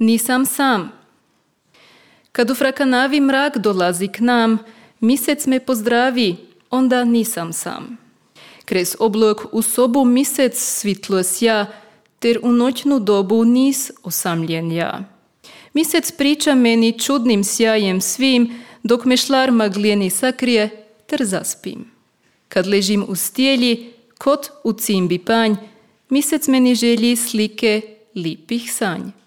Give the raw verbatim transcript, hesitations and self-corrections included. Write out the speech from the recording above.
nisam sam. Kad u frakanavi mrak dolazi k nam, misec me pozdravi, onda nisam sam. Krez oblok u sobu misec svitlo sja, ter u noćnu dobu nis osamljen ja. Misec priča meni čudnim sjajem svim, dok me šlar maglijeni sakrije, ter zaspim. Kad ležim u stijeli, kot u cimbi panj, misec meni želji slike lipih sanj.